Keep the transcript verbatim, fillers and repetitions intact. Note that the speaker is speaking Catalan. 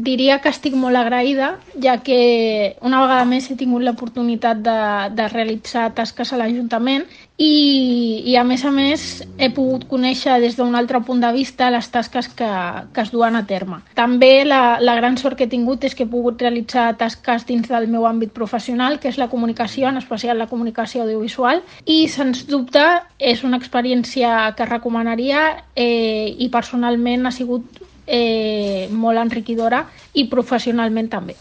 Diria que estic molt agraïda, ja que una vegada més he tingut l'oportunitat de, de realitzar tasques a l'Ajuntament i, i a més a més he pogut conèixer des d'un altre punt de vista les tasques que, que es duen a terme. També la, la gran sort que he tingut és que he pogut realitzar tasques dins del meu àmbit professional, que és la comunicació, en especial la comunicació audiovisual, i sens dubte és una experiència que recomanaria eh, i personalment ha sigut eh, molt enriquidora i professionalment també.